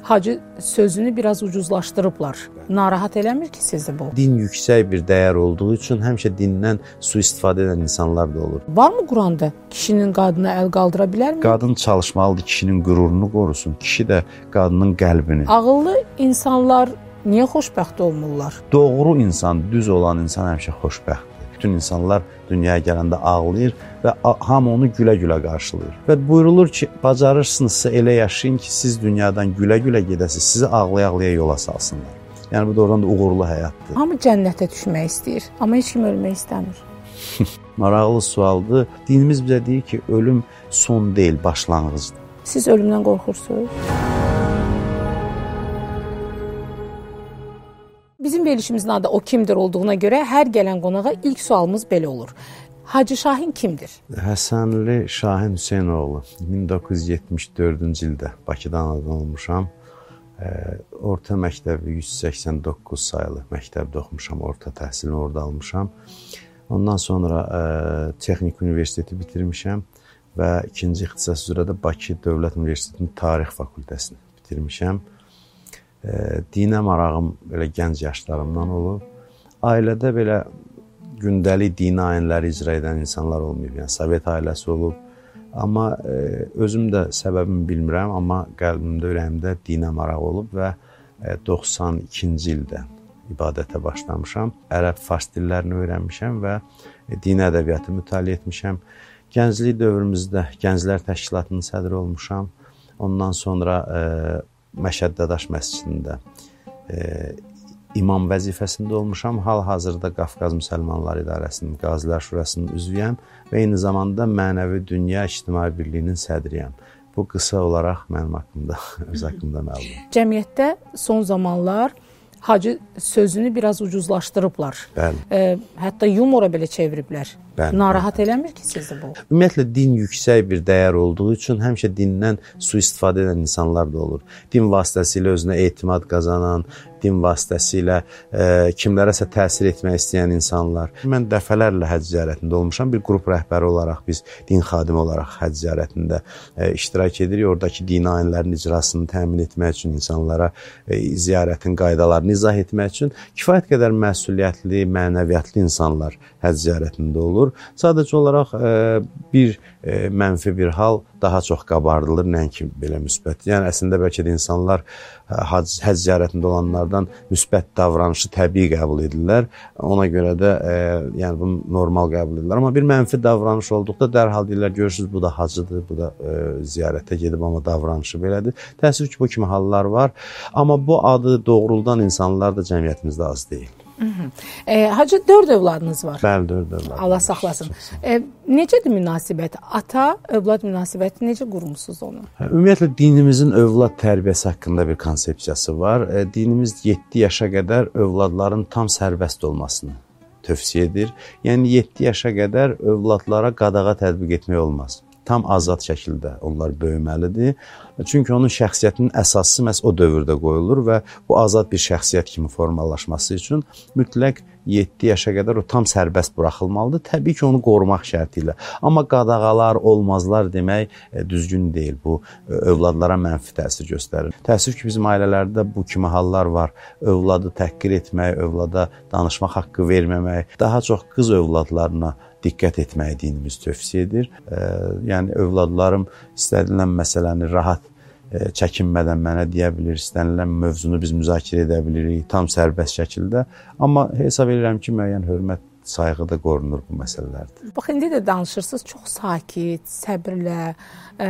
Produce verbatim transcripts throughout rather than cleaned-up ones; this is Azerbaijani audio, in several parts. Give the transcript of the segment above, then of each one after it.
Hacı sözünü biraz ucuzlaşdırıblar. Narahat eləmir ki sizi bu? Din yüksək bir dəyər olduğu üçün həmişə dindən sui-istifadə edən insanlar da olur. Varmı Quranda kişinin qadına əl qaldıra bilərmi? Qadın çalışmalıdır, kişinin qürurunu qorusun, kişi də qadının qəlbini. Ağıllı insanlar niyə xoşbəxt olmurlar? Doğru insan, düz olan insan həmişə xoşbəxtdir. Bütün insanlar dünyaya gələndə ağlayır və hamı onu gülə-gülə qarşılayır. Və buyurulur ki, bacarırsınızsa elə yaşayın ki, siz dünyadan gülə-gülə gedəsiniz, sizi ağlaya-ağlaya yola salsınlar. Yəni bu doğrudan da uğurlu həyatdır. Hamı cənnətə düşmək istəyir, amma heç kim ölmək istəmir. Maraqlı sualdır. Dinimiz bizə deyir ki, ölüm son deyil, başlanğıcdır. Siz ölümdən qorxursunuz? Bizim verilişimizin adı O Kimdir olduğuna görə hər gələn qonağa ilk sualımız belə olur. Hacı Şahin kimdir? Həsənli Şahin Hüseynoğlu. min doqquz yüz yetmiş dördüncü ildə Bakıda anadan olmuşam. Orta məktəbi yüz səksən doqquz sayılı məktəbdə oxumuşam, orta təhsilini orada almışam. Ondan sonra ə, Texnik Universiteti bitirmişəm və ikinci ixtisas üzrə də Bakı Dövlət Universitetinin Tarix Fakültəsini bitirmişəm. Ə, dinə marağım belə gənc yaşlarımdan olub. Ailədə belə gündəlik dini ayinləri icra edən insanlar olmayıb, yəni Sovet ailəsi olub. Amma ə, özüm də səbəbini bilmirəm, amma qəlbimdə, ürəyimdə dinə maraq olub və ə, doxsan ikinci ildə ibadətə başlamışam. Ərəb, fars dillərini öyrənmişəm və dini ədəbiyyatı mütaliə etmişəm. Gənclik dövrümüzdə Gənclər Təşkilatının sədri olmuşam. Ondan sonra ə, Məşəd Dadaş məscidində ə, imam vəzifəsində olmuşam. Hal-hazırda Qafqaz Müsəlmanlar İdarəsinin Qazilər Şurasının üzvüyəm və eyni zamanda Mənəvi Dünya İctimai Birliyinin sədriyəm. Bu qısa olaraq mənim haqqımda, öz haqqımda məlumat. Cəmiyyətdə son zamanlar hacı sözünü biraz ucuzlaşdırıblar. Bəli. E, hətta yumora belə çeviriblər. Bəli, Narahat bəli. eləmir ki sizi bu? Ümumiyyətlə, din yüksək bir dəyər olduğu üçün həmişə dindən sui-istifadə edən insanlar da olur. Din vasitəsilə özünə etimad qazanan, din vasitəsilə e, kimlərəsə təsir etmək istəyən insanlar. Mən dəfələrlə həcc ziyarətində olmuşam. Bir qrup rəhbəri olaraq biz din xadimi olaraq həcc ziyarətində e, iştirak edirik. Oradakı dini ayinlərin icrasını təmin etmək üçün insanlara e, ziyarətin qaydalarını izah etmək üçün kifayət qədər məsuliyyətli, mənəviyyatlı insanlar həcc ziyarətində olur. Sadəcə olaraq e, bir e, mənfi bir hal daha çox qabardılır, nəinki belə müsbət. Yəni əslində bəlkə də insanlar həcc, həcc ziyarətində olanlardan müsbət davranışı təbii qəbul edirlər. Ona görə də e, yəni bunu normal qəbul edirlər. Amma bir mənfi davranış olduqda dərhal deyirlər, görürsünüz bu da hacıdır, bu da e, ziyarətə gedib amma davranışı belədir. Təəssüf ki, bu kimi hallar var. Amma bu adı doğruldan insanlar da cəmiyyətimizdə az deyil. Hı -hı. E, hacı dörd övladınız var. Bəli, dörd övladınız. Allah saxlasın. E, necədir münasibət? Ata-övlad münasibəti necə qurmusunuz onu? Ümumiyyətlə, dinimizin övlad tərbiyəsi haqqında bir konsepsiyası var. E, dinimiz yeddi yaşa qədər övladların tam sərbəst olmasını tövsiyə edir. Yəni, yeddi yaşa qədər övladlara qadağa tətbiq etmək olmaz. Tam azad şəkildə onlar böyüməlidir. Çünki onun şəxsiyyətinin əsası məhz o dövrdə qoyulur və bu azad bir şəxsiyyət kimi formalaşması üçün mütləq yeddi yaşa qədər o tam sərbəst buraxılmalıdır. Təbii ki, onu qorumaq şərti ilə. Amma qadağalar, olmazlar demək e, düzgün deyil. Bu e, övladlara mənfi təsir göstərir. Təəssüf ki, bizim ailələrdə bu kimi hallar var. Övladı təhqir etmək, övlada danışmaq haqqı verməmək, daha çox qız övladlarına diqqət etməyi dinimiz tövsiyə edir. E, yəni, övladlarım istədilən məsələni rahat e, çəkinmədən mənə deyə bilir, istənilən mövzunu biz müzakirə edə bilirik, tam sərbəst şəkildə. Amma hesab edirəm ki, müəyyən hörmət, sayğı da qorunur bu məsələlərdir. Bax, indi də danışırsınız, çox sakit, səbirlə. E,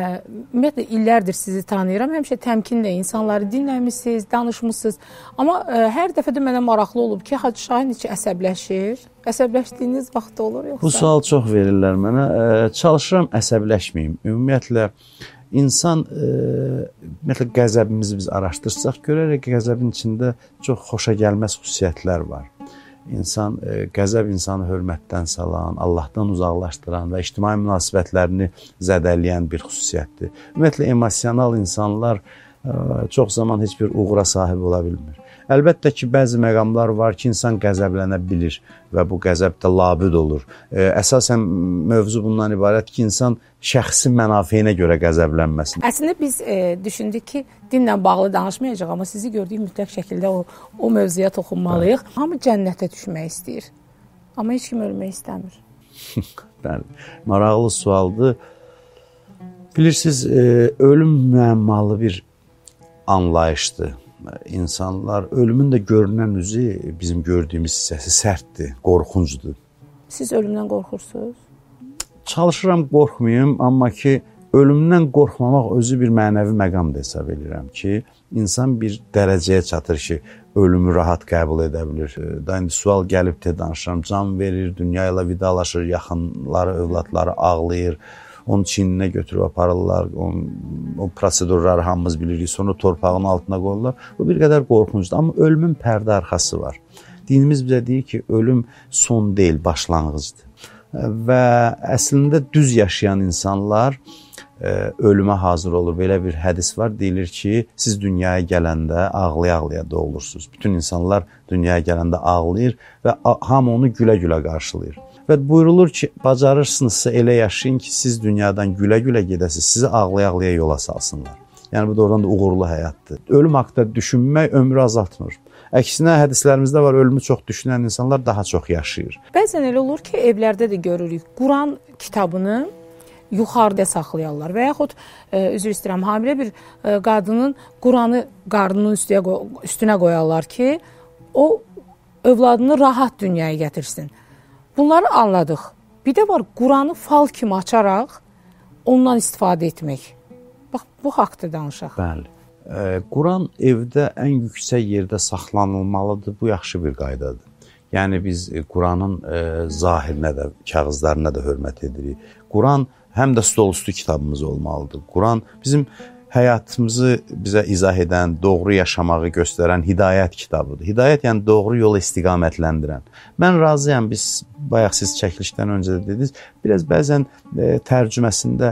ümumiyyətlə, illərdir sizi tanıyıram, həmişə təmkinlə insanları dinləmişsiniz, danışmışsınız. Amma e, hər dəfə də mənə maraqlı olub ki, Hacı Şahin içi əsəbləşir. Əsəbləşdiyiniz vaxt olur yoxsa? Bu sual çox verirlər mənə. E, çalışıram əsəbləşməyim. Ümumiyyətlə, İnsan, e, ümumiyyətlə, qəzəbimizi biz araşdırsaq, görərək ki, qəzəbin içində çox xoşa gəlməz xüsusiyyətlər var. İnsan, e, qəzəb insanı hörmətdən salan, Allahdan uzaqlaşdıran və ictimai münasibətlərini zədələyən bir xüsusiyyətdir. Ümumiyyətlə, emosional insanlar çox zaman heç bir uğura sahib ola bilmir. Əlbəttə ki, bəzi məqamlar var ki, insan qəzəblənə bilir və bu qəzəb də labüd olur. Əsasən mövzu bundan ibarət ki, insan şəxsi mənafeyinə görə qəzəblənməsin. Əslində biz e, düşündük ki, dinlə bağlı danışmayacaq, amma sizi gördüyük mütləq şəkildə o, o mövzuya toxunmalıyıq. Bəli. Hamı cənnətə düşmək istəyir, amma heç kim ölmək istəmir. Bəli, maraqlı sualdır. Bilirsiniz, e, ölüm müəmmalı bir anlayışdır. İnsanlar, ölümün də görünən üzü bizim gördüyümüz hissəsi sərtdir, qorxuncdur. Siz ölümdən qorxursunuz? Çalışıram qorxmayım, amma ki, ölümdən qorxmamaq özü bir mənəvi məqam da hesab edirəm ki, insan bir dərəcəyə çatır ki, ölümü rahat qəbul edə bilir. Da indi sual gəlib də danışıram, can verir, dünya ilə vidalaşır, yaxınları, övladları ağlayır, onun çiyninə götürüb aparırlar, onun, o prosedurları hamımız bilirik, sonra torpağın altına qoyurlar. Bu bir qədər qorxuncudur, amma ölümün pərdə arxası var. Dinimiz bizə deyir ki, ölüm son deyil, başlanğıcdır. Və əslində düz yaşayan insanlar e, ölümə hazır olur. Belə bir hədis var, deyilir ki, siz dünyaya gələndə ağlaya-ağlaya doğulursunuz. Bütün insanlar dünyaya gələndə ağlayır və hamı onu gülə-gülə qarşılayır. Və buyurulur ki, bacarırsınızsa elə yaşayın ki, siz dünyadan gülə-gülə gedəsiniz, sizi ağlaya-ağlaya yola salsınlar. Yəni, bu doğrudan da uğurlu həyatdır. Ölüm haqqında düşünmək ömrü azaltmır. Əksinə, hədislərimizdə var, ölümü çox düşünən insanlar daha çox yaşayır. Bəzən elə olur ki, evlərdə də görürük, Quran kitabını yuxarıda saxlayarlar və yaxud, e, üzr istəyirəm, hamilə bir e, qadının Quranı qarnının üstüyə, üstünə qoyarlar ki, o övladını rahat dünyaya gətirsin. Bunları anladıq. Bir də var, Quranı fal kimi açaraq ondan istifadə etmək. Bax, bu haqda danışaq. Bəli. E, Quran evdə ən yüksək yerdə saxlanılmalıdır. Bu yaxşı bir qaydadır. Yəni, biz e, Quranın e, zahirinə də, kağızlarına da hörmət edirik. Quran həm də stolüstü kitabımız olmalıdır. Quran bizim həyatımızı bizə izah edən, doğru yaşamağı göstərən hidayət kitabıdır. Hidayət yəni doğru yola istiqamətləndirən. Mən razıyam, biz bayaq siz çəkilişdən öncə də dediniz, biraz bəzən e, tərcüməsində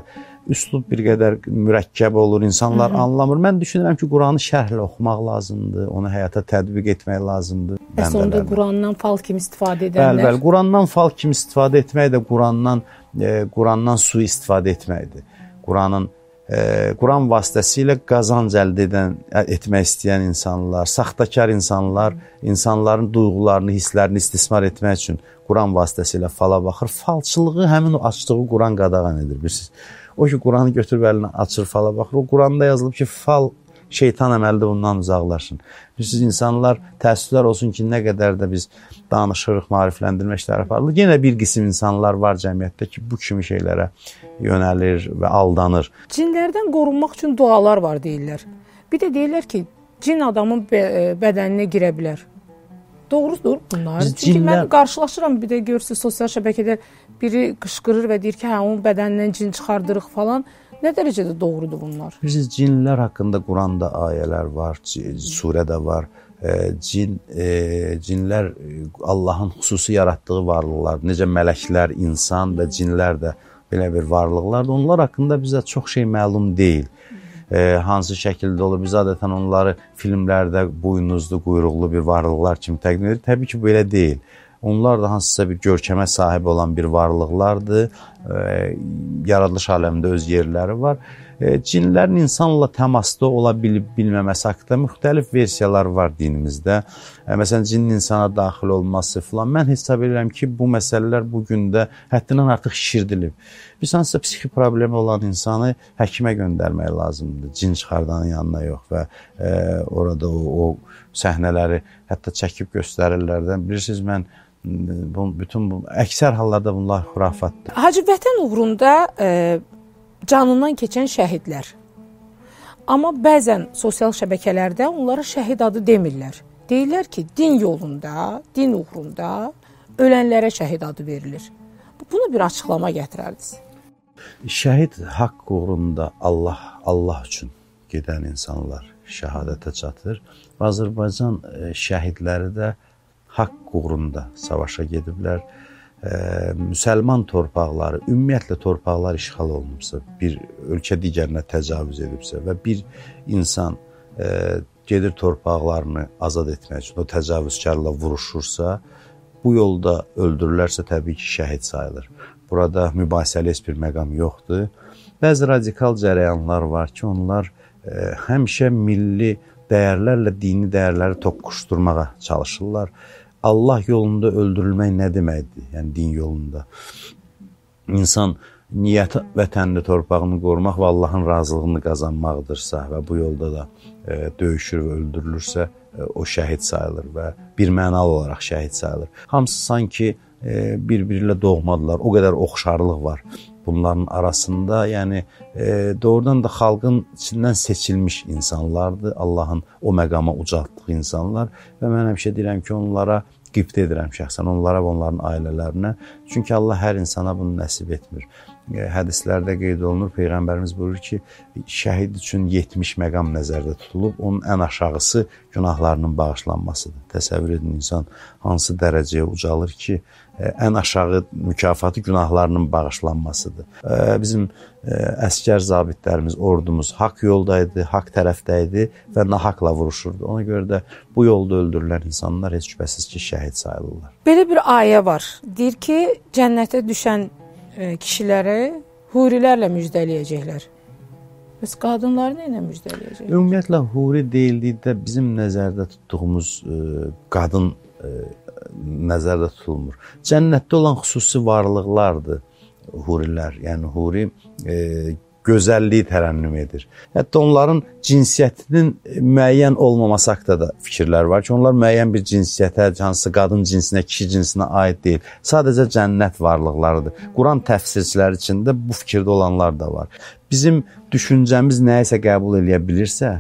üslub bir qədər mürəkkəb olur, insanlar Hı -hı. anlamır. Mən düşünürəm ki, Quranı şərhlə oxumaq lazımdır, onu həyata tətbiq etmək lazımdır. Bəs onda Qurandan fal kimi istifadə edənlər? Bəli, bəli, Qurandan fal kimi istifadə etmək də Qurandan, e, Qurandan su istifadə etməkdir. Quranın Quran vasitəsilə qazanc əldə edən, etmək istəyən insanlar, saxtakar insanlar, insanların duyğularını, hisslərini istismar etmək üçün Quran vasitəsilə fala baxır. Falçılığı həmin o açdığı Quran qadağan edir, bilirsiniz. O ki, Quranı götürüb əlinə açır, fala baxır. O Quranda yazılıb ki, fal şeytan əməlidir, bundan uzaqlaşın. Bilirsiniz, insanlar, təəssüflər olsun ki, nə qədər də biz danışırıq, maarifləndirmə işləri aparılır. Yenə bir qism insanlar var cəmiyyətdə ki, bu kimi şeylərə yönəlir və aldanır. Cinlərdən qorunmaq üçün dualar var deyirlər. Bir də deyirlər ki, cin adamın bədəninə girə bilər. Doğrudur bunlar. Biz Çünki cinlər... mən qarşılaşıram, bir də görürsünüz, sosial şəbəkədə biri qışqırır və deyir ki, hə, onun bədənindən cin çıxardırıq falan. Nə dərəcədə doğrudur bunlar? Bilirsiniz, cinlər haqqında Quranda ayələr var, surədə var. E, cin, e, cinlər Allahın xüsusi yaratdığı varlıqlar, necə mələklər, insan və cinlər də belə bir varlıqlardır. Onlar haqqında bizə çox şey məlum deyil. E, hansı şəkildə olur, biz adətən onları filmlərdə buynuzlu, quyruqlu bir varlıqlar kimi təqdim edir. Təbii ki, belə deyil. Onlar da hansısa bir görkəmə sahib olan bir varlıqlardır. E, yaradılış aləmində öz yerləri var. E, cinlərin insanla təmasda ola bilib bilməməsi haqqında müxtəlif versiyalar var dinimizdə. E, məsələn, cinin insana daxil olması filan. Mən hesab edirəm ki, bu məsələlər bugün də həddindən artıq şişirdilib. Biz hansısa psixi problemi olan insanı həkimə göndərmək lazımdır. Cin çıxardanın yanına yox və e, orada o, o səhnələri hətta çəkib göstərirlərdən. Bilirsiniz, mən bu, bütün bu, əksər hallarda bunlar xurafatdır. Hacı, vətən uğrunda e, canından keçən şəhidlər. Amma bəzən sosial şəbəkələrdə onlara şəhid adı demirlər. Deyirlər ki, din yolunda, din uğrunda ölənlərə şəhid adı verilir. Bunu bir açıqlama gətirərdiniz. Şəhid haqq uğrunda Allah, Allah üçün gedən insanlar şəhadətə çatır. Azərbaycan şəhidləri də haqq uğrunda savaşa gediblər. e, müsəlman torpaqları, ümumiyyətlə torpaqlar işğal olunubsa, bir ölkə digərinə təcavüz edibsə və bir insan e, gedir torpaqlarını azad etmək üçün o təcavüzkarla vuruşursa, bu yolda öldürülərsə təbii ki, şəhid sayılır. Burada mübahisəli heç bir məqam yoxdur. Bəzi radikal cərəyanlar var ki, onlar e, həmişə milli dəyərlərlə dini dəyərləri toqquşdurmağa çalışırlar. Allah yolunda öldürülmək nə deməkdir? Yəni, din yolunda. İnsan niyyəti vətənini, torpağını qorumaq və Allahın razılığını qazanmaqdırsa və bu yolda da e, döyüşür və öldürülürsə, e, o şəhid sayılır və bir mənalı olaraq şəhid sayılır. Hamısı sanki e, bir-biri ilə doğmadılar. O qədər oxşarlıq var bunların arasında. Yəni, e, doğrudan da xalqın içindən seçilmiş insanlardır. Allahın o məqama ucaltdığı insanlar və mən həmişə deyirəm ki, onlara qibtə edirəm şəxsən, onlara və onların ailələrinə. Çünki Allah hər insana bunu nəsib etmir. Hədislərdə qeyd olunur, Peyğəmbərimiz buyurur ki, şəhid üçün yetmiş məqam nəzərdə tutulub, onun ən aşağısı günahlarının bağışlanmasıdır. Təsəvvür edin, insan hansı dərəcəyə ucalır ki, ən aşağı mükafatı günahlarının bağışlanmasıdır. Bizim əskər zabitlərimiz, ordumuz haqq yoldaydı, haqq tərəfdəydi və nahaqla vuruşurdu. Ona görə də bu yolda öldürülən insanlar heç şübhəsiz ki, şəhid sayılırlar. Belə bir ayə var. Deyir ki, cənnətə düşən kişiləri hurilərlə müjdələyəcəklər. Bəs qadınları nə ilə müjdələyəcək? Ümumiyyətlə, huri deyildikdə bizim nəzərdə tutduğumuz e, qadın e, nəzərdə tutulmur. Cənnətdə olan xüsusi varlıqlardır hurilər. Yəni, huri e, gözəlliyi tərənnüm edir. Hətta onların cinsiyyətinin müəyyən olmaması haqqında da fikirlər var ki, onlar müəyyən bir cinsiyyətə, hansısa qadın cinsinə, kişi cinsinə aid deyil. Sadəcə cənnət varlıqlarıdır. Quran təfsirçiləri içində bu fikirdə olanlar da var. Bizim düşüncəmiz nəyisə qəbul edə bilirsə,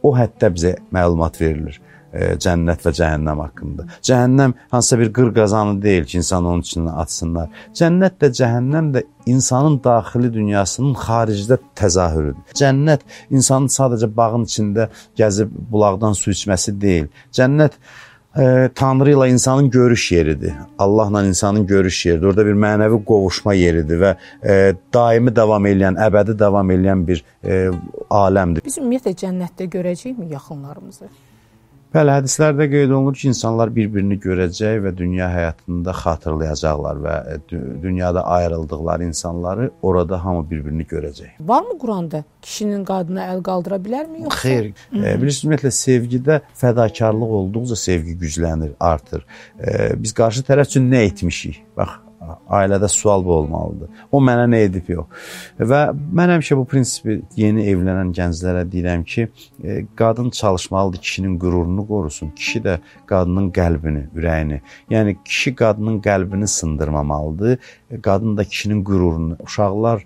o həddə bizə məlumat verilir. Cənnət və cəhənnəm haqqında. Cəhənnəm hansısa bir qır qazanı deyil ki, insan onun içindən atsınlar. Cənnət də, cəhənnəm də insanın daxili dünyasının xaricdə təzahürüdür. Cənnət insanın sadəcə bağın içində gəzib bulaqdan su içməsi deyil. Cənnət e, Tanrı ilə insanın görüş yeridir. Allahla insanın görüş yeridir. Orada bir mənəvi qovuşma yeridir və e, daimi davam edən, əbədi davam edən bir e, aləmdir. Biz ümumiyyətlə cənnətdə görəcəyikmi yaxınlarımızı? Bəli, hədislərdə qeyd olunur ki, insanlar bir-birini görəcək və dünya həyatında xatırlayacaqlar və dünyada ayrıldıqları insanları orada hamı bir-birini görəcək. Varmı Quranda kişinin qadına əl qaldıra bilərmi? Yoxsa? Xeyr. E, bilirsiniz, ümumiyyətlə, sevgidə fədakarlıq olduqca sevgi güclənir, artır. E, biz qarşı tərəf üçün nə etmişik? Bax, ailədə sual bu olmalıdır. O mənə nə edib yox. Və mən həmişə bu prinsipi yeni evlənən gənclərə deyirəm ki, e, qadın çalışmalıdır, kişinin qürurunu qorusun. Kişi də qadının qəlbini, ürəyini. Yəni, kişi qadının qəlbini sındırmamalıdır. Qadın da kişinin qürurunu. Uşaqlar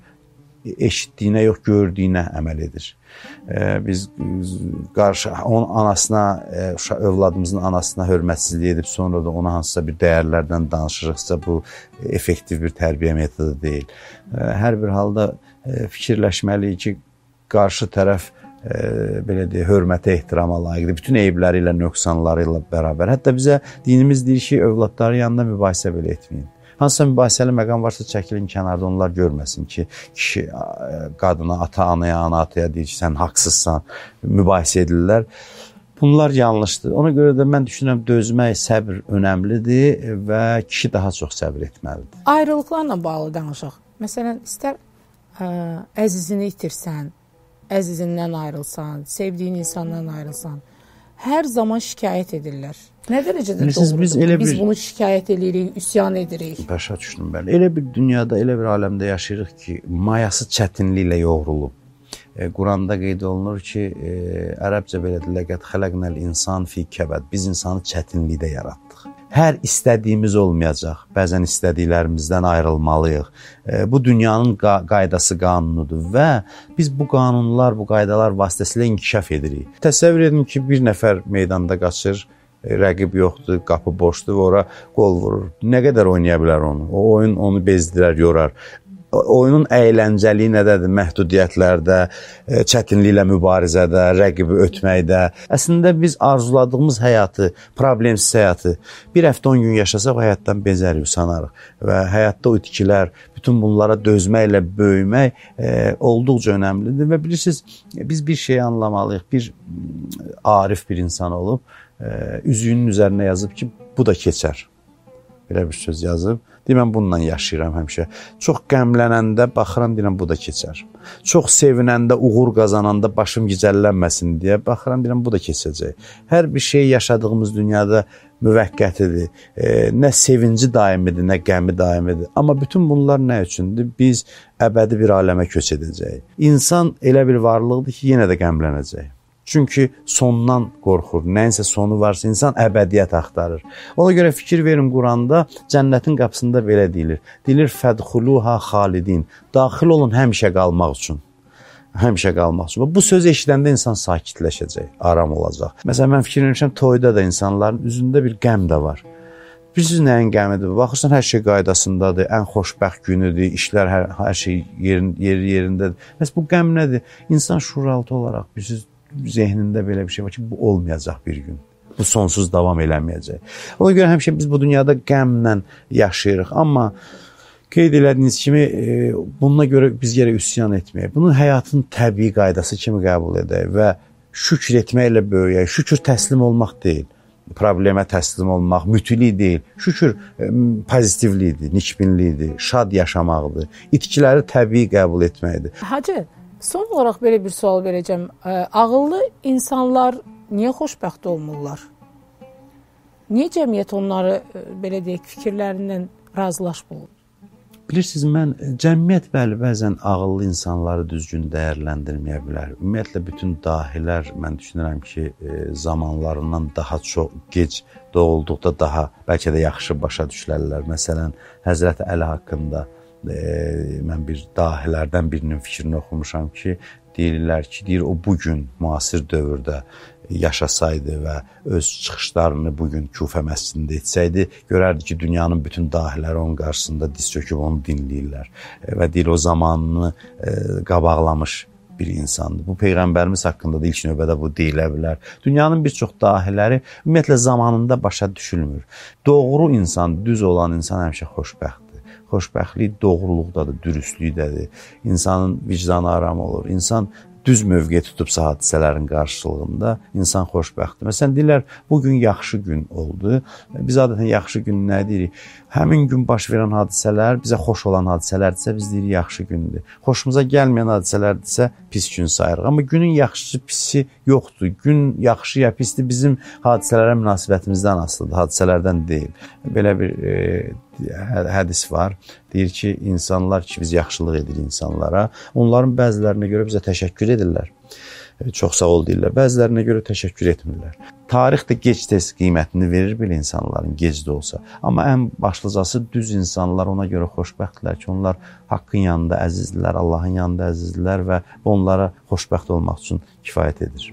eşitdiyinə yox, gördüyünə əməl edir. Ee, biz qarşı onun anasına, e, övladımızın anasına hörmətsizlik edib sonra da ona hansısa bir dəyərlərdən danışırıqsa, bu effektiv bir tərbiyə metodu deyil. E, hər bir halda e, fikirləşməliyik ki, qarşı tərəf e, belə deyə hörmətə, ehtirama layiqdir. Bütün eybləri ilə, nöqsanları ilə bərabər. Hətta bizə dinimiz deyir ki, övladları yanında mübahisə belə etməyin. Hansısa mübahisəli məqam varsa çəkilin kənarda, onlar görməsin ki, kişi qadına, ata-anaya, ana-ataya deyir ki, sən haqsızsan, mübahisə edirlər. Bunlar yanlışdır. Ona görə də mən düşünürəm, dözmək, səbr önəmlidir və kişi daha çox səbr etməlidir. Ayrılıqlarla bağlı danışaq. Məsələn, istər ə, əzizini itirsən, əzizindən ayrılsan, sevdiyin insandan ayrılsan, hər zaman şikayət edirlər. Nə dərəcədə doğrudur? Biz, bir... biz bunu şikayət edirik, üsyan edirik. Başa düşdüm bəli. Elə bir dünyada, elə bir aləmdə yaşayırıq ki, mayası çətinliklə yoğrulub. E, Quranda qeyd olunur ki, e, ərəbcə belədir, ləqəd xələqnəl insan fi kəbəd. Biz insanı çətinlikdə yaratdıq. Hər istədiyimiz olmayacaq. Bəzən istədiklərimizdən ayrılmalıyıq. E, bu dünyanın qaydası, qanunudur və biz bu qanunlar, bu qaydalar vasitəsilə inkişaf edirik. Təsəvvür edin ki, bir nəfər meydanda qaçır, rəqib yoxdur, qapı boşdur və ora qol vurur. Nə qədər oynaya bilər onu? O oyun onu bezdirər, yorar. oyunun əyləncəliyi nədədir? Məhdudiyyətlərdə, çətinliklə mübarizədə, rəqibi ötməkdə. Əslində biz arzuladığımız həyatı, problemsiz həyatı bir həftə on gün yaşasaq o həyatdan bezərik, usanarıq. Və həyatda o itkilər, bütün bunlara dözməklə böyümək e, olduqca önəmlidir. Və bilirsiniz, biz bir şeyi anlamalıyıq. Bir arif bir insan olub, e, üzüyünün üzərinə yazıb ki, bu da keçər. Belə bir söz yazıb. Deyirəm, bununla yaşayıram həmişə. Çox qəmlənəndə baxıram, deyirəm, bu da keçər. Çox sevinəndə, uğur qazananda başım gicəllənməsin deyə baxıram, deyirəm, bu da keçəcək. Hər bir şey yaşadığımız dünyada müvəqqətidir. E, nə sevinci daimidir, nə qəmi daimidir. Amma bütün bunlar nə üçündür? Biz əbədi bir aləmə köç edəcəyik. İnsan elə bir varlıqdır ki, yenə də qəmlənəcək. Çünki sondan qorxur. Nəyinsə sonu varsa insan əbədiyyət axtarır. Ona görə fikir verin, Quranda cənnətin qapısında belə deyilir. Deyilir, fədxuluha xalidin. Daxil olun həmişə qalmaq üçün. Həmişə qalmaq üçün. Bu sözü eşidəndə insan sakitləşəcək, aram olacaq. Məsələn, mən fikir verirəm, toyda da insanların üzündə bir qəm də var. Bilirsiniz nəyin qəmidir? Baxırsan, hər şey qaydasındadır, ən xoşbəxt günüdür, işlər hər, hər şey yerin, yeri yerindədir. Məsələn, bu qəm nədir? İnsan şuuraltı olaraq, bilirsiniz, zehnində belə bir şey var ki, bu olmayacaq bir gün. Bu sonsuz davam eləməyəcək. Ona görə həmişə biz bu dünyada qəmlə yaşayırıq. Amma qeyd elədiyiniz kimi, e, bununla görə biz gərək üsyan etməyək. Bunu həyatın təbii qaydası kimi qəbul edək və şükür etməklə böyüyək. Şükür təslim olmaq deyil. Problemə təslim olmaq, mütili deyil. Şükür e, pozitivliyidir, nikbinliyidir, şad yaşamaqdır. İtkiləri təbii qəbul etməkdir. Hacı, son olaraq belə bir sual verəcəm. Ağıllı insanlar niyə xoşbəxt olmurlar? Niyə cəmiyyət onları, belə deyək, fikirlərindən razılaşmır? Bilirsiniz, mən cəmiyyət bəli, bəzən ağıllı insanları düzgün dəyərləndirməyə bilər. Ümumiyyətlə, bütün dahilər, mən düşünürəm ki, zamanlarından daha çox gec doğulduqda daha bəlkə də yaxşı başa düşürlər. Məsələn, Həzrəti Əli haqqında E, mən bir dahilərdən birinin fikrini oxumuşam ki, deyirlər ki, deyir, o bugün müasir dövrdə yaşasaydı və öz çıxışlarını bugün Kufə məscidində etsəydi, görərdi ki, dünyanın bütün dahiləri onun qarşısında diz çöküb onu dinləyirlər. E, və deyir, o zamanını e, qabaqlamış bir insandır. Bu Peyğəmbərimiz haqqında da ilk növbədə bu deyilə bilər. Dünyanın bir çox dahiləri ümumiyyətlə zamanında başa düşülmür. Doğru insan, düz olan insan həmişə xoşbəxtdir. Xoşbəxtlik doğruluqdadır, dürüstlükdədir. İnsanın vicdanı aram olur. İnsan düz mövqe tutubsa hadisələrin qarşılığında insan xoşbəxtdir. Məsələn, deyirlər, bugün yaxşı gün oldu. Biz adətən yaxşı gün nə deyirik? Həmin gün baş verən hadisələr, bizə xoş olan hadisələrdirsə, biz deyirik, yaxşı gündür. Xoşumuza gəlməyən hadisələrdirsə, pis gün sayırıq. Amma günün yaxşısı, pisi yoxdur. Gün yaxşı ya pisdir bizim hadisələrə münasibətimizdən asılıdır, hadisələrdən deyil. Belə bir e, hədis var. Deyir ki, insanlar ki, biz yaxşılıq edirik insanlara. Onların bəzilərinə görə bizə təşəkkür edirlər. Çox sağ ol deyirlər. Bəzilərinə görə təşəkkür etmirlər. Tarix də gec-tez qiymətini verir belə insanların, gec də olsa. Amma ən başlıcası düz insanlar ona görə xoşbəxtdirlər ki, onlar haqqın yanında əzizdirlər, Allahın yanında əzizdirlər və onlara xoşbəxt olmaq üçün kifayət edir.